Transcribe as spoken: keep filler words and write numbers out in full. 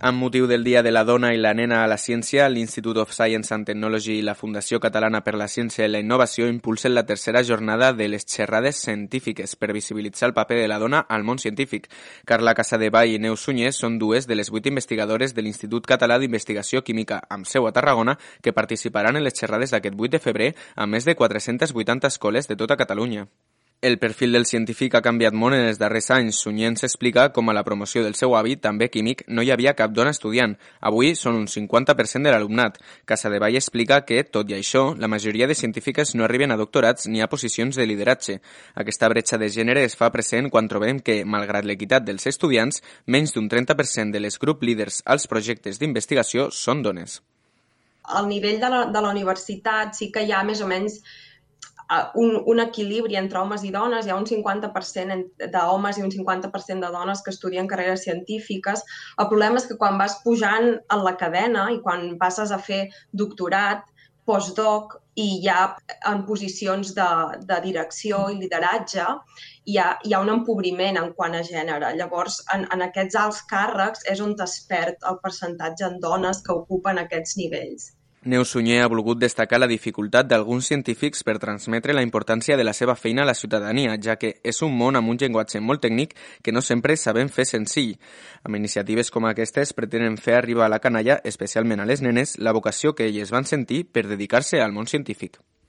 Amb motiu del Dia de la Dona i la Nena a la Ciència, l'Institute of Science and Technology i la Fundació Catalana per la Ciència i la Innovació impulsen la tercera jornada de les xerrades científiques per visibilitzar el paper de la dona al món científic. Carla Casadevall i Neus Sunyer són dues de les vuit investigadores de l'Institut Català d'Investigació Química amb seu a Tarragona que participaran en les xerrades d'aquest vuit de febrer a més de quatre-centes vuitanta escoles de tota Catalunya. El perfil del científic ha canviat molt en els darrers anys. Sunyer ens explica com a la promoció del seu avi, també químic, no hi havia cap dona estudiant. Avui són un cinquanta per cent de l'alumnat. Casadevall explica que, tot i això, la majoria de científiques no arriben a doctorats ni a posicions de lideratge. Aquesta bretxa de gènere es fa present quan trobem que, malgrat l'equitat dels estudiants, menys d'un trenta per cent de les grup líders als projectes d'investigació són dones. Al nivell de la, de la universitat sí que hi ha més o menys Un, un equilibri entre homes i dones, hi ha un cinquanta per cent d'homes i un cinquanta per cent de dones que estudien carreres científiques. El problema és que quan vas pujant en la cadena i quan passes a fer doctorat, postdoc i ja en posicions de, de direcció i lideratge, hi ha, hi ha un empobriment en quant a gènere. Llavors, en, en aquests alts càrrecs és on es perd el percentatge en dones que ocupen aquests nivells. Neus Sunyer ha volgut destacar la dificultat d'alguns científics per transmetre la importància de la seva feina a la ciutadania, ja que és un món amb un llenguatge molt tècnic que no sempre sabem fer senzill. Amb iniciatives com aquestes pretenen fer arribar a la canalla, especialment a les nenes, la vocació que elles van sentir per dedicar-se al món científic.